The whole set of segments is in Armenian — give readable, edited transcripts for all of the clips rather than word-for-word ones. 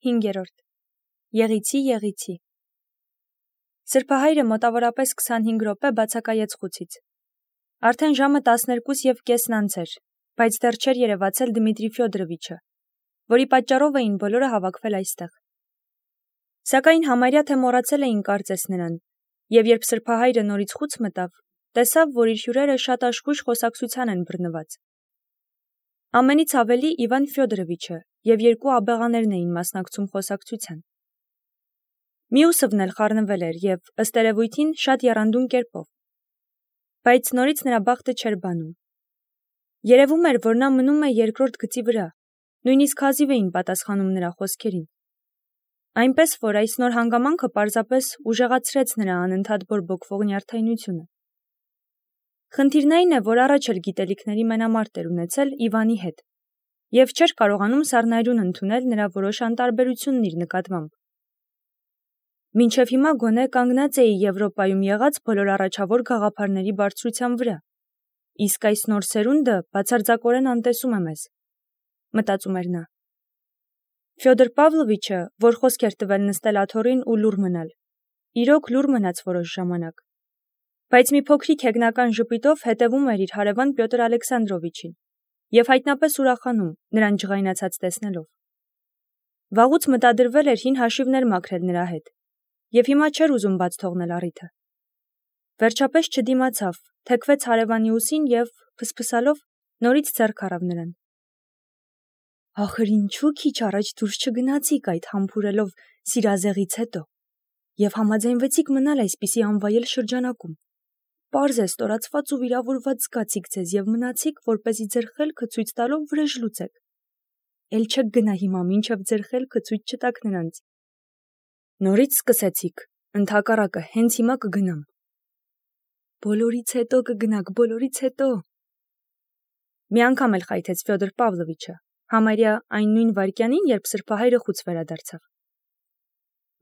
5. Եղիցի Սրբահայրը մոտավորապես 25 րոպե բացակայեց խուցից։ Արդեն ժամը 12:30 անց էր, բայց դեռ չէր երևացել Դմիտրի Ֆյոդորովիչը, որի պատճառով էին բոլորը հավաքվել այստեղ։ Սակայն համարյա թե մոռացել էին կարծես նրան, եւ երբ սրբահայրը նորից խուց մտավ, տեսավ, որ իր հյուրերը շատ աշխույժ խոսակցության են բռնված։ Ամենից ավելի Իվան Ֆյոդորովիչը եւ երկու աբեղաներն էին մասնակցում խոսակցության։ Մյուսովն էլ խառնվել էր եւ ըստ երևույթին շատ եռանդուն կերպով։ Բայց նորից նրա բախտը չէր բանում։ Երևում էր, որ նա մնում է երկրորդ գծի վրա, նույնիսկ հազիվ էին պատասխանում նրա խոսքերին։ Այնպես որ այս նոր հանգամանքը պարզապես ուժեղացրեց նրա անընդհատ բորբոքվող նյարդայնությունը։ Խնդիրն այն է, որ առաջ էլ գիտելիքների մենամարտ էր ունեցել Իվանի հետ եւ չէր կարողանում սառնայրուն ընդունել նրա որոշ անտարբերությունն իր նկատմամբ։ Մինչև հիմա գոնե կանգնած էի Եվրոպայում եղած բոլոր առաջավոր գաղափարների բարձրության վրա, իսկ այս նոր սերունդը բացարձակորեն անտեսում է մեզ, մտածում էր նա։ Ֆյոդոր Պավլովիչը, որ խոսք էր տվել նստել աթոռին ու լուռ մնալ, իրոք լուռ մնաց որոշ ժամանակ, բայց մի փոքրիկ հեգնական ժպիտով հետևում էր իր հարևան Պյոտր Ալեքսանդրովիչին եւ հայտնապես ուրախանում նրան ջղայնացած տեսնելով։ Վաղուց մտադրվել էր հին հաշիվներ մաքրել նրա հետ եւ հիմա չէր ուզում բաց թողնել առիթը։ Վերջապես չդիմացավ, թեքվեց հարևանի ուսին եւ փսփսալով նորից ձեռք առավ նրան։ Ախր ինչու քիչ առաջ դուրս չգնացիք այդ համբուրելով սիրազեղից հետո եւ համաձայնվեցիք մնալ այսպիսի անվայել շրջանակում։ Պարզ է ստորացված ու վիրավորված զգացիք ձեզ եւ մնացիք, որպեսզի ձեր խելքը ցույց տալով վրեժ լուծեք։ Էլ չեք գնա հիմա, մինչև ձեր խելքը ցույց չտաք նրանց։ Նորից սկսեցիք, ընդհակառակը հենց հիմա կգնամ։ Բոլորից հետո կգնաք, բոլորից հետո։ Մի անգամ էլ խայթեց Ֆյոդոր Պավլովիչը, համարյա այն նույն վայրկյանին, երբ սրբահայրը խուց վերադարձավ։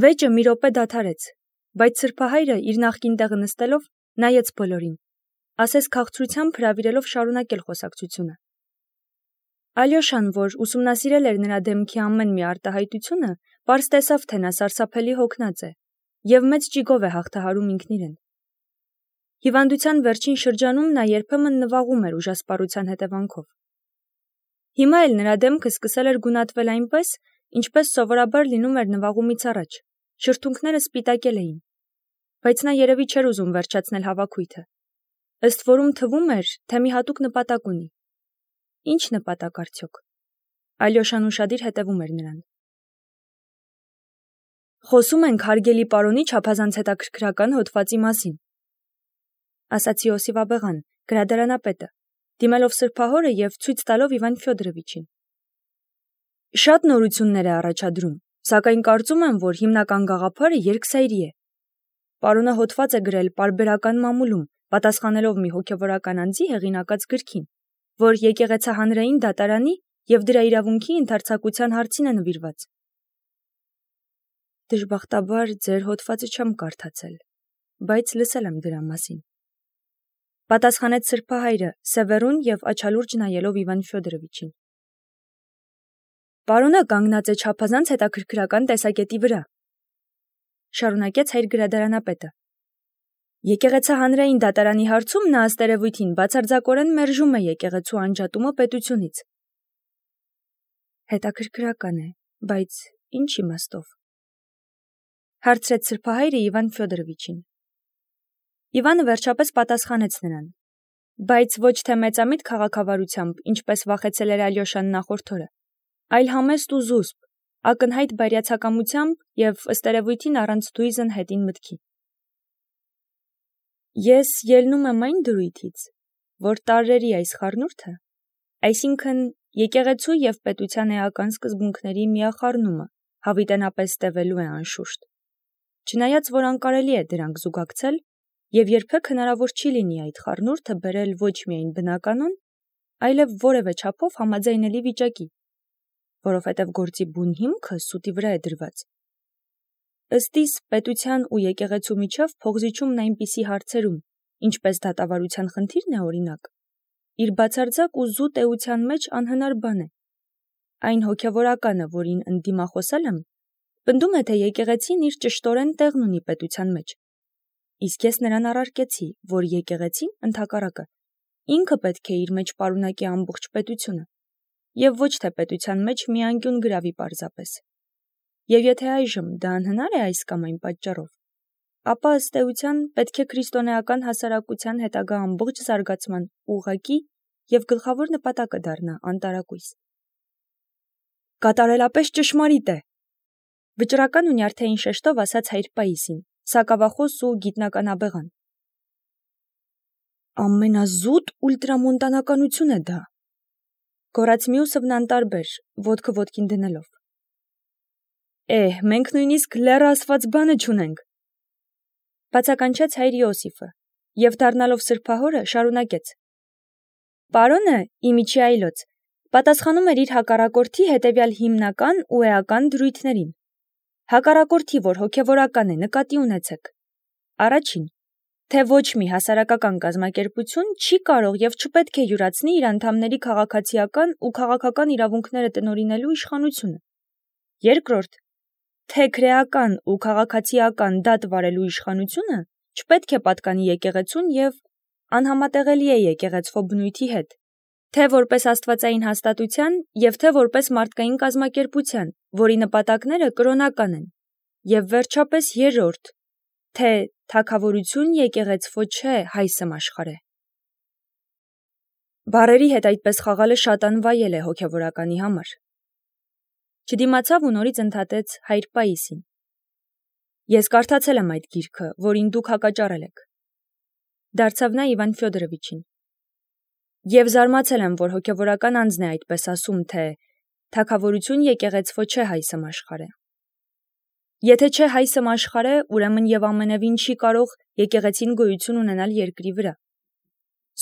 Վեճը մի րոպե դադարեց, բայց սրբահայրը իր նախկին տեղը նստելով նայեց բոլորին, ասես քաղցրությամբ հրավիրելով շարունակել խոսակցությունը։ Ալյոշան, որ ուսումնասիրել էր նրա դեմքի ամեն մի արտահայտությունը, պարզ տեսավ, թե նա սարսափելի հոգնած է եւ մեծ ճիգով է հաղթահարում ինքն իրեն։ Հիվանդության վերջին շրջանում նա երբեմն նվաղում էր ուժասպառության հետևանքով։ Հիմա էլ նրա դեմքը սկսել էր գունատվել այնպես, ինչպես սովորաբար լինում էր նվաղումից առաջ, շրթունքները սպիտակել էին, բայց նա երևի չէր ուզում վերջացնել հավաքույթը։ Ըստ որում թվում էր, թե մի հատուկ նպատակ ունի։ Ինչ նպատակ արդյոք։ Ալյոշան ուշադիր հետևում էր նրան։ Խոսում ենք հարգելի պարոնի չափազանց հետաքրքրական հոդվածի մասին, ասաց Իոսիֆ աբեղան, գրադարանապետը, դիմելով սրբահորը եւ ցույց տալով Իվան Ֆյոդորովիչին։ Շատ նորություններ է առաջադրում, սակայն կարծում եմ, որ հիմնական գաղափարը երկսայրի է։ Պարոնը հոդված է գրել պարբերական մամուլում, պատասխանելով մի հոգևորական անձի հեղինակած գրքին, որ եկեղեցահանրային դատարանի եւ դրա իրավունքի ընդարձակության հարցին է նվիրված։ Դժբախտաբար ձեր հոդվածը չեմ կարդացել, բայց լսել եմ դրա մասին։ Պատասխանեց սրբահայրը, սևեռուն եւ աչալուրջ նայելով Իվան Ֆյոդորովիչին։ Պարոնը կանգնած է չափազանց հետաքրքրական տեսակետի վրա, շարունակեց հայր գրադարանապետը։ Եկեղեցահանրային դատարանի հարցում նա ըստ երևույթին բացարձակորեն մերժում է եկեղեցու անջատումը պետությունից։ Հետաքրքրական է, բայց ինչ իմաստով։ Հարցրեց սրբահայրը Իվան Ֆյոդորովիչին։ Իվանը վերջապես պատասխանեց նրան, բայց ոչ թե մեծամիտ քաղաքավարությամբ, ինչպես վախեցել էր Ալյոշան նախորդ օրը, այլ համեստ ու զուսպ, ակնհայտ բարյացակամությամբ եւ ըստ երևույթին առանց դույզն հետին մտքի։ Ես ելնում եմ այն դրույթից, որ տարրերի այս խառնուրդը, այսինքն եկեղեցու եւ պետության էական սկզբունքների միախառնումը, հավիտենապես տևելու է անշուշտ։ Չնայած որ անկարելի է դրանք զուգակցել, եւ երբեք հնարավոր չի լինի այդ խառնուրդը բերել ոչ միայն բնականon, այլև որևէ չափով համաձայնելի վիճակի, որովհետև գործի բուն հիմքը սուտի վրա է դրված։ Ըստ իս պետության ու եկեղեցու միջև փողզիչումն այնպիսի հարցերում, ինչպես դատավարության խնդիրն է օրինակ, իր բացարձակ ու զուտ էության մեջ անհնար բան է։ այն հոգևորականը, որին ընդդիմախոսել եմ, պնդում է, թե եկեղեցին իր ճշտորեն տեղն ունի պետության մեջ։ Իսկ ես նրան առարկեցի, որ եկեղեցին ընդհակառակը ինքը պետք է իր մեջ պարունակի ամբողջ պետությունը, եւ ոչ թե պետության մեջ մի անկյուն գրավի պարզապես։ Եվ եթե այժմ դա անհնար է այս կամ այն պատճառով, ապա ըստ էության պետք է քրիստոնեական հասարակության հետագա ամբողջ զարգացման ուղղակի եւ գլխավոր նպատակը դառնա անտարակույս։ Կատարելապես ճշմարիտ է, վճռական ու նյարդային շեշտով ասաց հայր Պաիսին, սակավախոս ու գիտնականաբեղան։ Ամենազուտ ուլտրամոնտանականություն է դա, գոռաց մյուսը անտարբեր, ոտքը ոտքին դնելով։ Մենք նույնիսկ լեռը ասված բանը չունենք, բացականչեց հայր Իոսիֆը, եւ դառնալով սրբահորը շարունակեց. Պարոնը, իմիջի այլոց, պատասխանում էր իր հակառակորդի հետևյալ հիմնական ու էական դրույթներին։ Հակառակորդի, որ հոգևորական է, նկատի ունեցեք. Առաջին, թե ոչ մի հասարակական կազմակերպություն չի կարող եւ չպետք է յուրացնի իր անդամների քաղաքացիական ու քաղաքական իրավունքները տնօրինելու իշխանությունը։ Երկրորդ, թե քրեական ու քաղաքացիական դատ վարելու իշխանությունը չպետք է պատկանի եկեղեցուն եւ անհամատեղելի է եկեղեցվո բնույթի հետ, թե որպես աստվածային հաստատության եւ թե որպես մարդկային կազմակերպության, որի նպատակները կրոնական են, եւ վերջապես երրորդ, թե թագավորություն եկեղեցվո չէ հայսը աշխարհ է։ Բարերի հետ այդպես խաղալը շատ անվայել է հոգևորականի համար։ Չդիմացավ ու նորից ընդհատեց հայր Պաիսին. Ես կարդացել եմ այդ գիրքը, որին դուք հակաճառել եք։ Դարձավ նա Իվան Ֆյոդորովիչին։ Եվ զարմացել եմ, որ հոգևորական անձն է այդպես ասում, թե թագավորություն եկեղեցվո չէ հայսը աշխարհ է։ Եթե չէ հայսը աշխարհ է, ուրեմն եւ ամենևին չի կարող եկեղեցին գոյություն ունենալ երկրի վրա։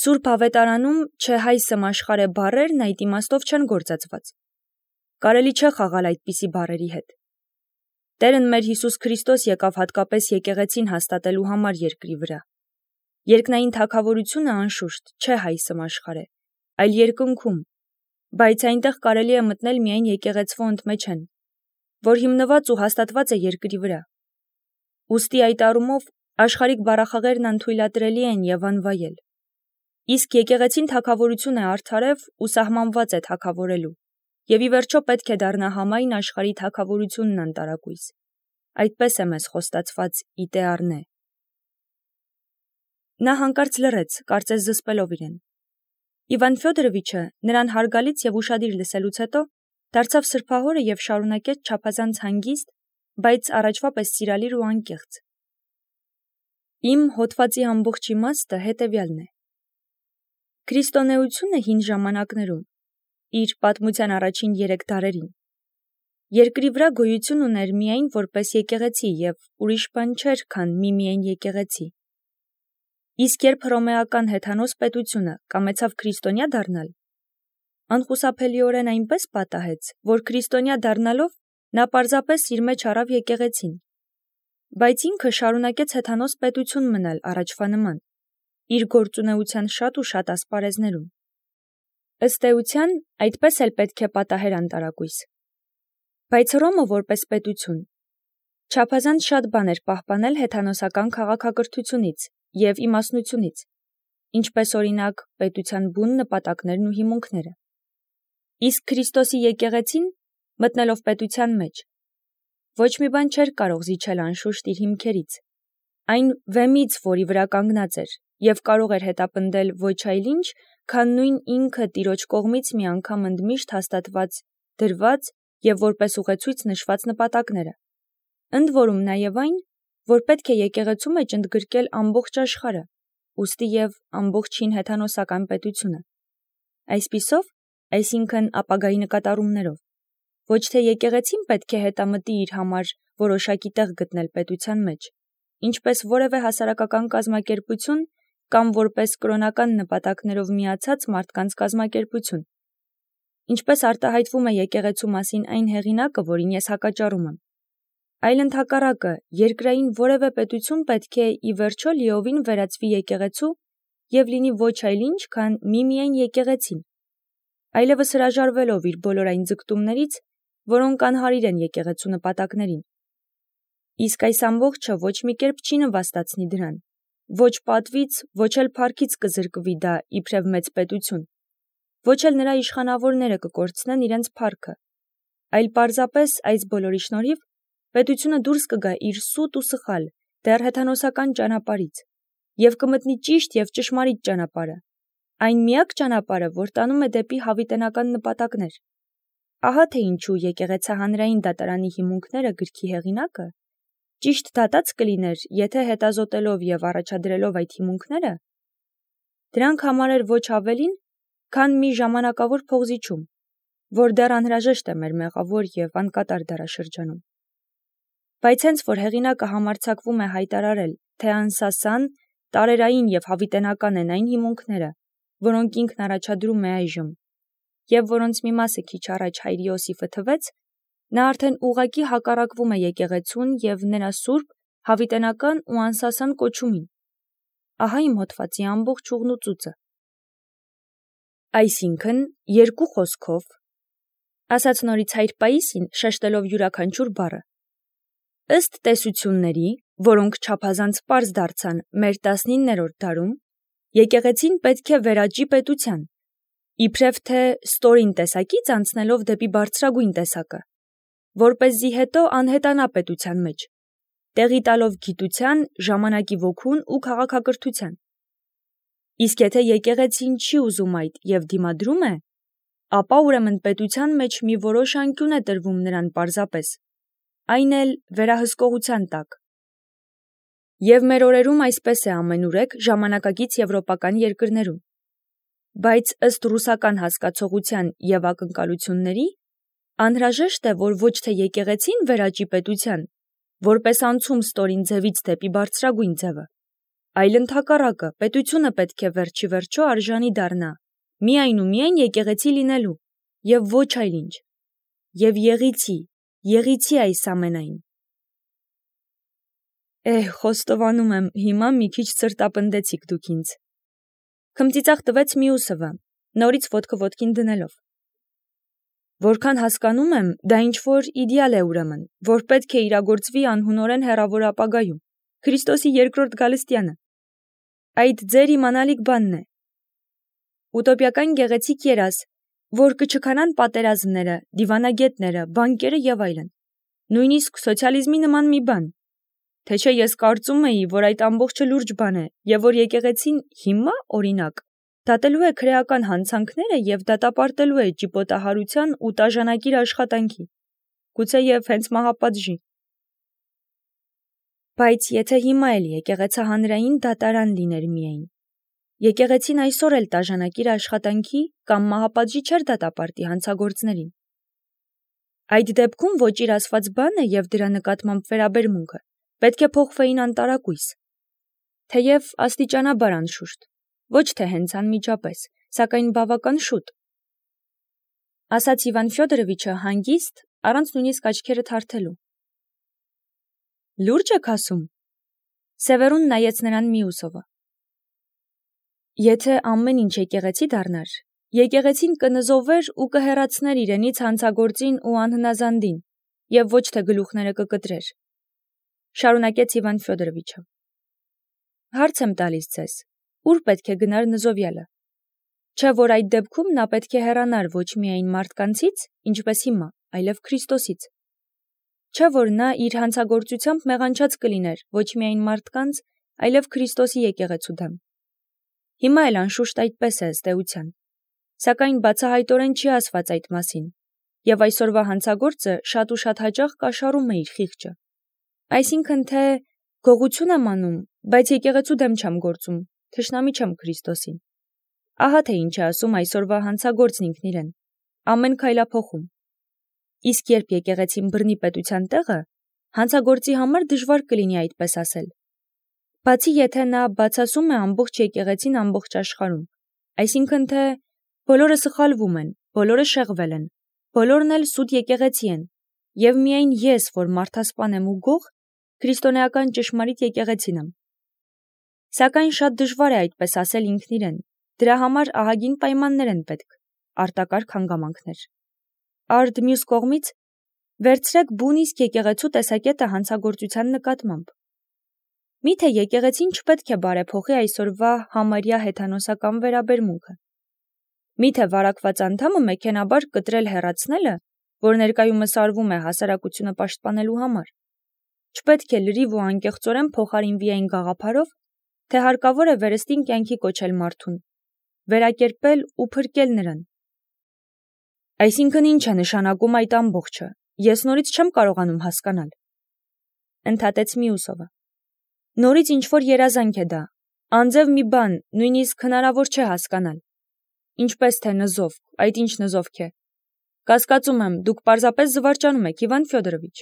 Սուրբ ավետարանում չէ հայսը աշխարհ է բառերն այդ իմաստով չեն գործածված։ Կարելի չէ խաղալ այդպիսի բառերի հետ։ Տերն մեր Հիսուս Քրիստոս եկավ հատկապես եկեղեցին հաստատելու համար երկրի վրա։ Երկնային թագավորությունը անշուշտ չէ հայսը աշխարհ է, այլ երկնքում, բայց այնտեղ կարելի է մտնել միայն եկեղեցվո ընդմեջեն, որ հիմնված ու հաստատված է երկրի վրա։ Ուստի այդ առումով աշխարհիկ բառախաղերն անթույլատրելի են եւ անվայել։ Իսկ եկեղեցին թագավորություն է արդարև ու սահմանված է թագավորելու, եւ ի վերջո պետք է դառնա համայն աշխարհի թագավորությունն անտարակույս։ Այդպես է մեզ խոստացված իտեառնե։ Նա հանկարծ լռեց, կարծես զսպելով իրեն։ Իվան Ֆյոդորովիչը նրան հարգալից եւ ուշադիր լսելուց հետո դարձավ սրբահորը եւ շարունակեց չափազանց հանգիստ, բայց առաջվա պես սիրալիր ու անկեղծ։ Իմ հոդվածի ամբողջ իմաստը հետեւյալն է. Քրիստոնեությունը հին ժամանակներում, իր պատմության առաջին 3 դարերին, երկրի վրա գոյություն ուներ միայն որպես եկեղեցի եւ ուրիշ բան չէր, քան միայն եկեղեցի։ Իսկ երբ հռոմեական հեթանոս պետությունը կամեցավ քրիստոնյա դառնալ, անխուսափելիորեն այնպես պատահեց, որ քրիստոնյա դառնալով նա պարզապես իր մեջ առավ եկեղեցին, բայց ինքը շարունակեց հեթանոս պետություն մնալ առաջվա նման, իր գործունեության շատ ու շատ ասպարեզներում։ Ըստ էության, այդպես էլ պետք է պատահեր անտարակույս։ Բայց Հռոմը որպես պետություն չափազանց շատ բան էր պահպանել հեթանոսական քաղաքակրթությունից եւ իմաստնությունից, ինչպես օրինակ պետության բուն նպատակներն ու հիմունքները։ Իսկ Քրիստոսի եկեղեցին, մտնելով պետության մեջ, ոչ մի բան չէր կարող զիջել անշուշտ իր հիմքերից, այն վեմից, որի վրա կանգնած էր, եւ կարող էր հետապնդել ոչ այլ ինչ, քան նույն ինքը Տիրոջ կողմից մի անգամ ընդմիշտ հաստատված, դրված եւ որպես ուղեցույց նշված նպատակները։ Ընդ որում նաեւ այն, որ պետք է եկեղեցու մեջ ընդգրկել ամբողջ աշխարհը, ուստի եւ ամբողջ հին հեթանոսական պետությունը։ Այսպիսով, այսինքն ապագայի նկատառումներով, ոչ թե եկեղեցին պետք է հետամտի իր համար որոշակի տեղ գտնել պետության մեջ, ինչպես որևէ հասարակական կազմակերպություն կամ որպես կրոնական նպատակներով միացած մարդկանց կազմակերպություն։ Ինչպես արտահայտվում է եկեղեցու մասին այն հեղինակը, որին ես հակաճառում եմ, այլ ընդհակառակը, երկրային որևէ պետություն պետք է ի վերջո լիովին վերածվի եկեղեցու եւ լինի ոչ այլ ինչ, քան միայն եկեղեցին։ այլևս հրաժարվելով իր բոլոր այն ձգտումներից, որոնք անհարիր են եկեղեցու նպատակներին։ Իսկ այս ամբողջը ոչ մի կերպ չի նվաստացնի դրան, ոչ պատվից, ոչ էլ փառքից կզրկվի դա իբրև մեծ պետություն, ոչ էլ նրա իշխանավորները կկորցնեն իրենց փառքը, այլ պարզապես այս բոլորի շնորհիվ պետությունը դուրս կգա իր սուտ ու սխալ, դեռ հեթանոսական ճանապարհից և կմտնի ճիշտ և ճշմարիտ ճանապարհը, այն միակ ճանապարհը, որ տանում է դեպի հավիտենական նպատակներ։ Ահա թե ինչու եկեղեցահանրային դատարանի հիմունքները գրքի հեղինակը ճիշտ դատած կլիներ, եթե հետազոտելով և առաջադրելով այդ հիմունքները, դրանք համարեր ոչ ավելին, քան մի ժամանակավոր փողզիչում, որ դեռ անհրաժեշտ է մեր մեղավոր և անկատար դարաշրջանում։ Բայց հենց որ հեղինակը համարձակվում է հայտարարել, թե անսասան, տարերային և հավիտենական են այն հիմունքները, որոնք ինքն առաջադրում է այժմ, և որոնց մի մասը քիչ առաջ հայր Իոսիֆը թվեց, նա արդեն ուղղակի հակառակվում է եկեղեցուն և նրա սուրբ, հավիտենական ու անսասան կոչումին։ Ահա իմ հոդվածի ամբողջ ուղն ու ծուծը։ Այսինքն, երկու խոսքով, ասաց նորից հայր Պաիսին, շեշտելով յուրաքանչյուր բառը, ըստ տեսությունների, որոնք չափազանց պարզ դարձան մեր 19-րդ դարում, եկեղեցին պետք է վերաճի պետության, իբրև թե ստորին տեսակից անցնելով դեպի բարձրագույն տեսակը, որպեսզի հետո անհետանա պետության մեջ, տեղի տալով գիտության, ժամանակի ոգուն ու քաղաքակրթության։ Իսկ եթե եկեղեցին չի ուզում այդ և դիմադրում է, ապա ուրեմն պետության մեջ մի որոշ անկյուն է տրվում նրան պարզապես, այն էլ վերահսկողության տակ։ Եվ մեր օրերում այսպես է ամենուրեք ժամանակակից եվրոպական երկրներում։ Բայց ըստ ռուսական հասկացողության և ակնկալությունների, անհրաժեշտ է, որ ոչ թե եկեղեցին վերաճի պետության, որպես անցում ստորին ձևից դեպի բարձրագույն ձևը, այլ ընդհակառակը պետությունը պետք է վերջի վերջո արժանի դառնա միայն ու միայն եկեղեցի լինելու և ոչ այլ ինչ, և եղիցի այս ամենայն։ Խոստովանում եմ, հիմա մի քիչ սրտապնդեցիք դուք ինձ։ Քմծիծաղ տվեց մյուսը, նորից ոտքը ոտքին դնելով։ Որքան հասկանում եմ, դա ինչ-որ իդեալ է ուրեմն, որ պետք է իրագործվի անհունորեն հեռավոր ապագայում, Քրիստոսի երկրորդ գալստյանը։ Այդ ձեր իմանալիք բանն է։ Ուտոպիական գեղեցիկ երազ, որ կչքանան պատերազմները, դիվանագետները, բանկերը և այլն, նույնիսկ սոցիալիզմի նման մի բան, թե չէ ես կարծում էի, որ այդ ամբողջը լուրջ բան է, և որ եկեղեցին հիմա, օրինակ, դատելու է քրեական հանցանքները և դատապարտելու է ճիպոտահարության ու տաժանակիր աշխատանքի, գուցեև հենց մահապատժի։ Բայց եթե հիմա էլ եկեղեցահանրային դատարան լիներ միայն, եկեղեցին այսօր էլ տաժանակիր աշխատանքի կամ մահապատժի չէր դատապարտի հանցագործներին։ Այդ դեպքում ոչ իր ասված բանը և դրա նկատմամբ վերաբերմունքը պետք է փոխվեին անտարակույս, թեև աստիճանաբար անշուշտ, ոչ թե հենց անմիջապես, սակայն բավական շուտ, ասաց Իվան Ֆյոդորովիչը հանգիստ, առանց նույնիսկ աչքերը թարթելու։ Լուրջ եք ասում։ Սևերուն նայեց նրան Միուսովը։ Եթե ամեն ինչ եկեղեցի դառնար, եկեղեցին կնզովեր ու կհեռացներ իրենից հանցագործին ու անհնազանդին, և ոչ թե գլուխները կկտրեր, շարունակեց Իվան Ֆյոդորովիչը։ Հարց եմ տալիս ձեզ, ուր պետք է գնար նզովյալը, չէ որ այդ դեպքում նա պետք է հեռանար ոչ միայն մարդկանցից, ինչպես հիմա, այլև Քրիստոսից, չէ որ նա իր հանցագործությամբ մեղանչած կլիներ ոչ միայն մարդկանց, այլև Քրիստոսի եկեղեցու դեմ։ Հիմա էլ անշուշտ այդպես է ըստ էության, սակայն բացահայտորեն չի ասված այդ մասին, և այսօրվա հանցագործը շատ ու շատ հաճախ կաշառում է իր խիղճը, այսինքն թե գողություն եմ անում, բայց եկեղեցու դեմ չեմ գործում, թշնամի չեմ Քրիստոսին։ Ահա թե ինչ է ասում այսօրվա հանցագործն ինքն իրեն, ամեն քայլափոխում։ Իսկ երբ եկեղեցին բռնի պետության տեղը, հանցագործի համար դժվար կլինի այդպես ասել։ Բացի եթե նա բացասում է ամբողջ եկեղեցին ամբողջ աշխարհում, այսինքն թե բոլորը սխալվում են, բոլորը շեղվել են, բոլորն էլ սուտ եկեղեցի են, և միայն ես, որ մարդասպան եմ ու գող, քրիստոնեական ճշմարիտ եկեղեցին եմ։ Սակայն շատ դժվար է այդպես ասել ինքն իրեն, դրա համար ահագին պայմաններ են պետք, արտակարգ հանգամանքներ։ Արդ մյուս կողմից վերցրեք բուն իսկ եկեղեցու տեսակետը հանցագործության նկատմամբ։ Միթե եկեղեցին չպետք է բարեփոխի այսօրվա համարյա հեթանոսական վերաբերմունքը։ Միթե վարակված անդամը մեքենաբար կտրել հեռացնելը, որ ներկայումս արվում է հասարակությունը պաշտպանելու համար, չպետք է լրիվ ու անկեղծորեն փոխարինվի այն գաղափարով, թե հարկավոր է վերստին կյանքի կոչել մարդուն, վերակերպել ու փրկել նրան։ Այսինքն ինչ է նշանակում այդ ամբողջը, ես նորից չեմ կարողանում հասկանալ, ընդհատեց Միուսովը։ Նորից ինչ-որ երազանք է դա, անձև մի բան, նույնիսկ հնարավոր չէ հասկանալ։ Ինչպես թե նզովք, այդ ինչ նզովք է։ Կասկածում եմ, դուք պարզապես զվարճանում եք, Իվան Ֆյոդորովիչ։